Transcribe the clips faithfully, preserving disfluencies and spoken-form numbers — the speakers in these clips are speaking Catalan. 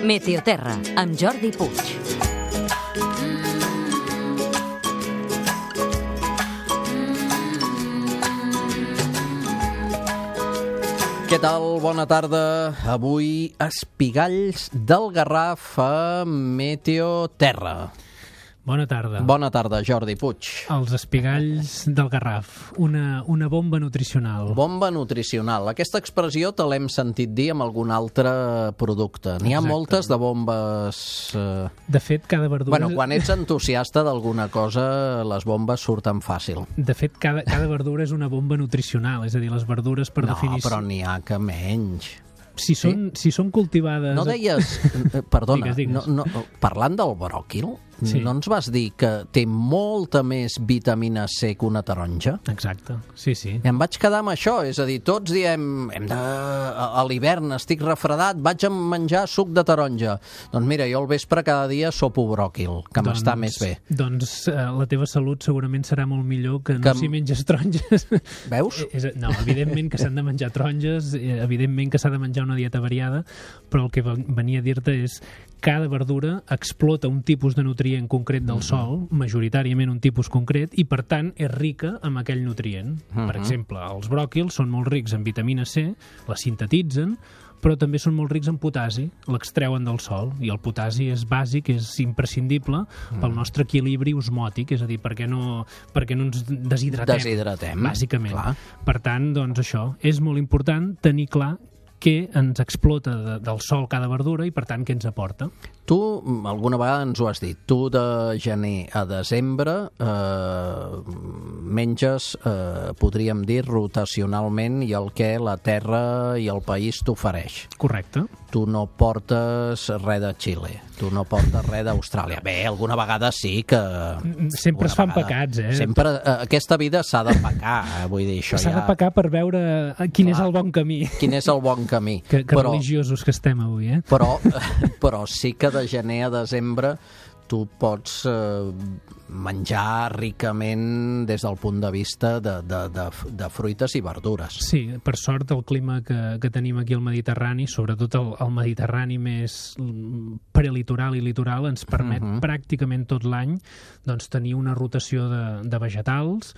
Meteoterra, amb Jordi Puig. Què tal? Bona tarda. Avui, espigalls del Garraf a Meteoterra. Bona tarda. Bona tarda, Jordi Puig. Els espigalls del Garraf, una, una bomba nutricional. Bomba nutricional. Aquesta expressió te l'hem sentit dir amb algun altre producte. N'hi ha Exacte. moltes de bombes... Eh... De fet, cada verdura... Bueno, quan ets entusiasta d'alguna cosa, les bombes surten fàcil. De fet, cada, cada verdura és una bomba nutricional, és a dir, les verdures per no, definició... No, però n'hi ha que menys. Si són, sí? si són cultivades... No deies... Perdona, digues, digues. No, no, parlant del bròquil, sí. no ens vas dir que té molta més vitamina C que una taronja? Exacte, sí, sí. I em vaig quedar amb això, és a dir, tots diem, hem de... a l'hivern estic refredat, vaig a menjar suc de taronja. Doncs mira, jo al vespre cada dia sopo bròquil, que doncs, m'està més bé. Doncs eh, la teva salut segurament serà molt millor que no que... si menges taronges. Veus? És, no, evidentment que s'han de menjar taronges, evidentment que s'ha de menjar una dieta variada, però el que venia a dir-te és cada verdura explota un tipus de nutrient concret del sol, majoritàriament un tipus concret, i per tant és rica amb aquell nutrient. Uh-huh. Per exemple, els bròquils són molt rics en vitamina C, la sintetitzen, però també són molt rics en potasi, l'extreuen del sol, i el potasi és bàsic, és imprescindible pel nostre equilibri osmòtic, és a dir, perquè no, perquè no ens deshidratem. Deshidratem, bàsicament. Clar. Per tant, doncs això, és molt important tenir clar què ens explota de, del sol cada verdura i, per tant, què ens aporta. Tu, alguna vegada ens ho has dit, tu de gener a desembre eh, menges, eh, podríem dir, rotacionalment i el que la terra i el país t'ofereix. Correcte. Tu no portes res de Xile, tu no portes res d'Austràlia. Bé, alguna vegada sí que... Sempre es fan vegada, pecats, eh? Sempre, eh, aquesta vida s'ha de pecar, eh? Vull dir, això s'ha ja... de pecar per veure quin Clar, és el bon camí. Quin és el bon camí. Que, que però, religiosos que estem avui, eh? Però, però sí que de gener a desembre tu pots eh, menjar ricament des del punt de vista de, de, de, de fruites i verdures. Sí, per sort el clima que, que tenim aquí al Mediterrani, sobretot el, el Mediterrani més prelitoral i litoral, ens permet uh-huh. pràcticament tot l'any doncs, tenir una rotació de, de vegetals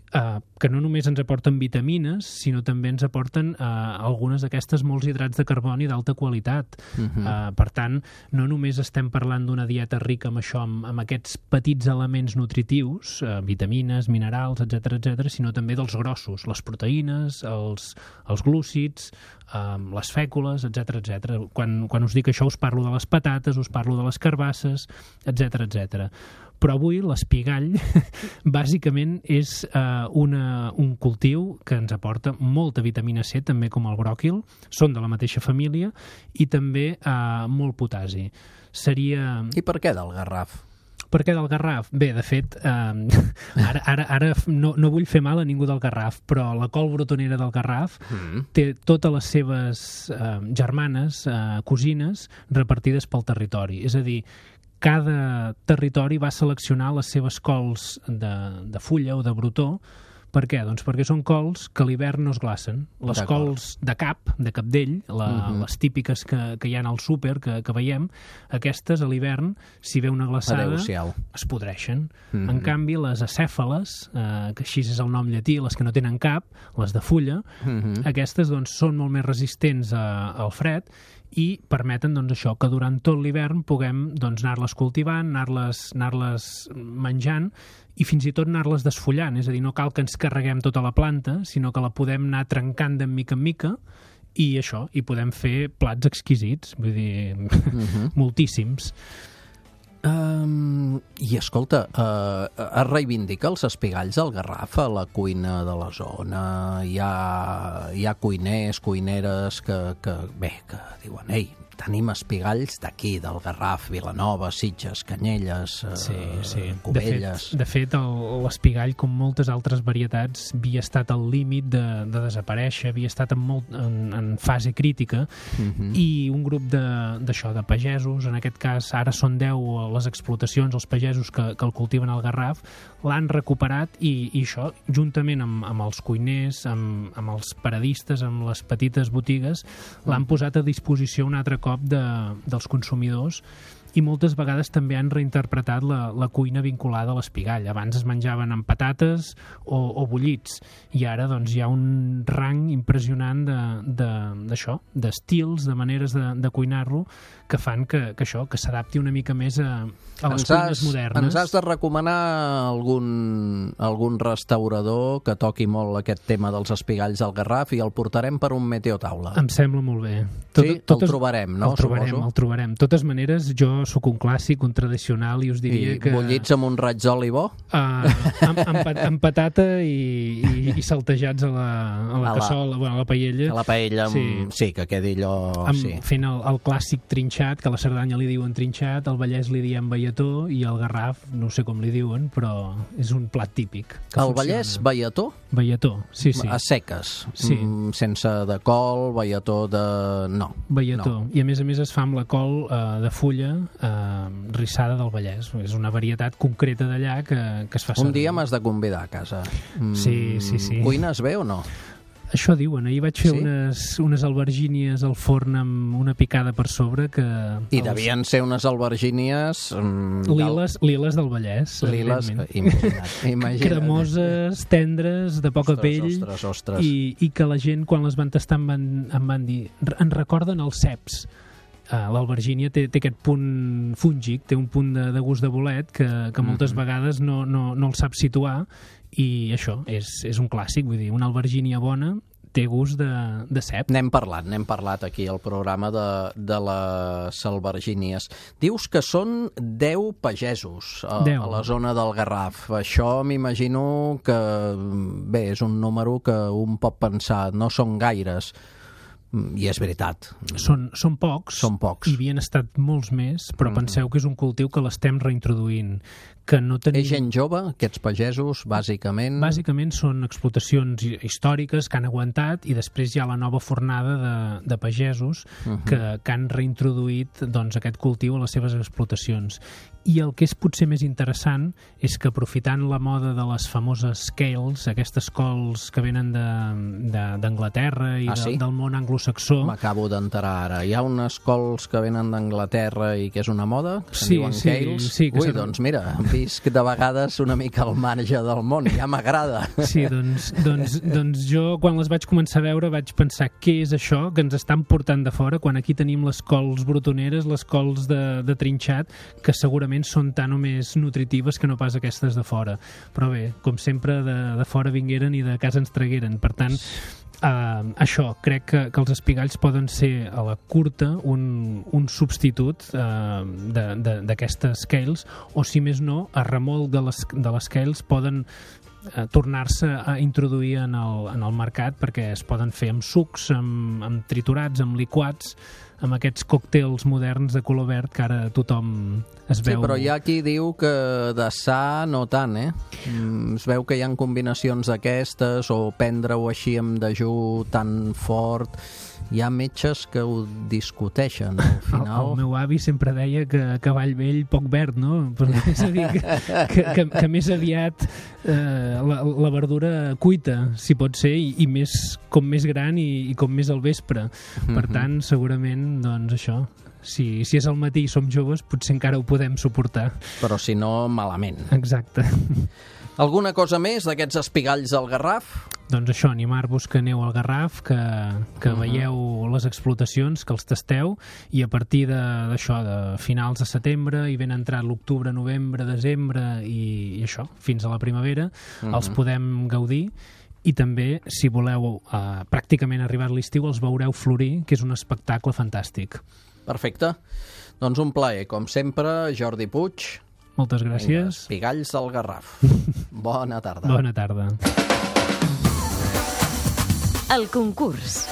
Uh, que no només ens aporten vitamines, sinó també ens aporten uh, algunes d'aquestes molts hidrats de carboni d'alta qualitat. Uh-huh. Uh, per tant, no només estem parlant d'una dieta rica amb això, amb, amb aquests petits elements nutritius, uh, vitamines, minerals, etcètera, etcètera, sinó també dels grossos, les proteïnes, els, els glúcids, uh, les fècules, etcètera, etcètera. Quan, quan us dic això us parlo de les patates, us parlo de les carbasses, etcètera, etcètera. Però avui l'espigall bàsicament és uh, una, un cultiu que ens aporta molta vitamina C, també com el bròquil, són de la mateixa família, i també uh, molt potasi. Seria... I per què del Garraf? Per què del Garraf? Bé, de fet, eh, ara, ara, ara no, no vull fer mal a ningú del Garraf, però la col brotonera del Garraf mm. té totes les seves eh, germanes, eh, cosines, repartides pel territori. És a dir, cada territori va seleccionar les seves cols de, de fulla o de brotó. Per què? Doncs perquè són cols que a l'hivern no es glacen. Les cols de cap, de capdell, la, uh-huh. les típiques que, que hi ha al súper, que, que veiem, aquestes a l'hivern, si ve una glaçada, es podreixen. Uh-huh. En canvi, les acèfales, eh, que així és el nom llatí, les que no tenen cap, les de fulla, uh-huh. aquestes doncs, són molt més resistents a, al fred i permeten doncs, això, que durant tot l'hivern puguem doncs, anar-les cultivant, anar-les, anar-les menjant i fins i tot anar-les desfullant. És a dir, no cal que ens carreguem tota la planta, sinó que la podem anar trencant de mica en mica i això, i podem fer plats exquisits, vull dir, uh-huh. moltíssims. Um, I escolta, uh, es reivindica els espigalls del Garraf a la cuina de la zona? Hi ha, hi ha cuiners, cuineres que, que, bé, que diuen, ei, tenim espigalls d'aquí, del Garraf, Vilanova, Sitges, Canyelles, sí, sí. Cubelles... De fet, de fet l'espigall, com moltes altres varietats, havia estat al límit de, de desaparèixer, havia estat en, molt, en, en fase crítica, uh-huh. i un grup d'això, de, de pagesos, en aquest cas ara són deu les explotacions, els pagesos que, que el cultiven al Garraf, l'han recuperat i, i això, juntament amb, amb els cuiners, amb, amb els paradistes, amb les petites botigues, l'han posat a disposició un altre cop cop de, dels consumidors, i moltes vegades també han reinterpretat la, la cuina vinculada a l'espigall. Abans es menjaven amb patates o, o bullits, i ara doncs, hi ha un rang impressionant d'això, de, d'estils, de maneres de, de cuinar-lo, que fan que, que això, que s'adapti una mica més a, a les ens cuines has, modernes. Ens has de recomanar algun, algun restaurador que toqui molt aquest tema dels espigalls al Garraf i el portarem per un meteotaula. Em sembla molt bé. Tot, sí? Totes, el trobarem, no? El trobarem, Suposo. el trobarem. De totes maneres, jo sóc un clàssic, un tradicional, i us diria I que... bullits amb un raig d'oli bo? Uh, amb, amb, amb patata i, i, i saltejats a la, a la a cassola, la, bueno, a la paella. A la paella, amb, sí. sí, que quedi allò... Amb, sí. Fent el, el clàssic trinxat, que a la Cerdanya li diuen trinxat, al Vallès li diem veiató, i al Garraf, no sé com li diuen, però és un plat típic. Al Vallès, veiató? Veiató, sí, sí. A seques, sí. mm, sense de col, veiató de... no. Veiató, no. I a més a més es fa amb la col eh, de fulla eh, rissada del Vallès. És una varietat concreta d'allà que, que es fa servir. Un dia m'has de convidar a casa. Mm, sí, sí, sí. Cuines bé o no? Això diuen. Ahir vaig fer sí? unes, unes albergínies al forn amb una picada per sobre que... I els... devien ser unes albergínies... Mm, liles, del... liles del Vallès. Liles, imagina't, imagina't. Cremoses, tendres, de poca ostres, pell. Ostres, ostres. I, I que la gent, quan les van tastar, em van, em van dir... En recorden els ceps. Uh, l'albergínia té, té aquest punt fúngic, té un punt de, de gust de bolet que, que moltes mm-hmm. vegades no, no, no el sap situar, i això és, és un clàssic, vull dir, una albergínia bona té gust de, de cep. N'hem parlat, n'hem parlat aquí al programa de, de les albergínies. Dius que són deu pagesos a, deu. a la zona del Garraf. Això m'imagino que, bé, és un número que un pot pensar, no són gaires. I és veritat. Són, són pocs. Són pocs. I havien estat molts més, però mm-hmm. penseu que és un cultiu que l'estem reintroduint. Que no tenim... És gent jove, aquests pagesos, bàsicament? Bàsicament són explotacions històriques que han aguantat, i després hi ha la nova fornada de, de pagesos uh-huh. que, que han reintroduït doncs, aquest cultiu a les seves explotacions. I el que és potser més interessant és que, aprofitant la moda de les famoses scales, aquestes cols que venen d'Anglaterra i ah, de, sí? del món anglosaxó... M'acabo d'enterar ara. Hi ha unes cols que venen d'Anglaterra i que és una moda? Que sí, diuen sí, Cales? sí. Que Ui, serà... doncs mira, visc de vegades una mica al marge del món, ja m'agrada. Sí, doncs, doncs, doncs jo quan les vaig començar a veure vaig pensar què és això que ens estan portant de fora, quan aquí tenim les cols brotoneres, les cols de, de trinxat, que segurament són tan o més nutritives que no pas aquestes de fora. Però bé, com sempre, de, de fora vingueren i de casa ens tragueren. Per tant, Uh, això, crec que, que els espigalls poden ser a la curta un, un substitut uh, d'aquestes scales, o si més no, a remolc de les, de les scales poden uh, tornar-se a introduir en el, en el mercat, perquè es poden fer amb sucs, amb, amb triturats, amb liquats, amb aquests còctels moderns de color verd que ara tothom es veu... Sí, però hi ha qui diu que de sa no tant, eh? Mm, es veu que hi ha combinacions d'aquestes, o prendre-ho així amb dejú tan fort... Hi ha metges que ho discuteixen, al final... El, el meu avi sempre deia que a cavall vell poc verd, no? Però és a dir, que, que, que, que més aviat eh, la, la verdura cuita, si pot ser, i, i més, com més gran i, i com més al vespre. Per tant, segurament, doncs això... Si, si és al matí i som joves, potser encara ho podem suportar. Però si no, malament. Exacte. Alguna cosa més d'aquests espigalls del Garraf? Doncs això, animar-vos que aneu al Garraf, que, que uh-huh. veieu les explotacions, que els tasteu, i a partir d'això, de, de finals de setembre, i ben entrat l'octubre, novembre, desembre, i, i això, fins a la primavera, uh-huh. els podem gaudir. I també, si voleu eh, pràcticament arribar a l'estiu, els veureu florir, que és un espectacle fantàstic. Perfecte. Doncs un plaer, com sempre, Jordi Puig. Moltes gràcies. Espigalls del Garraf. Bona tarda. Bona tarda. El concurs.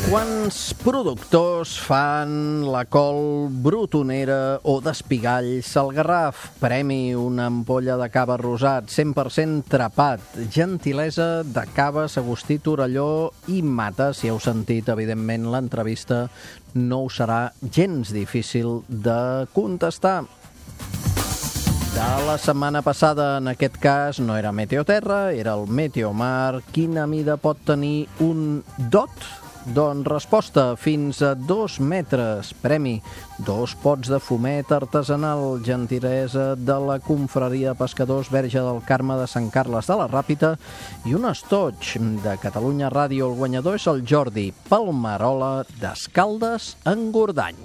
Quants productors fan la col brotonera o d'espigalls al Garraf? Premi una ampolla de cava rosat, cent per cent trapat, gentilesa de Caves Agustí Torelló i Mata. Si heu sentit, evidentment, l'entrevista, no us serà gens difícil de contestar. De la setmana passada, en aquest cas, no era Meteoterra, era el Meteomar. Quina mida pot tenir un dot Doncs resposta, fins a dos metres. Premi, dos pots de fumet artesanal, gentilesa de la confraria Pescadors Verge del Carme de Sant Carles de la Ràpita i un estoig de Catalunya Ràdio. El guanyador és el Jordi Palmerola d'Escaldes en Gordany.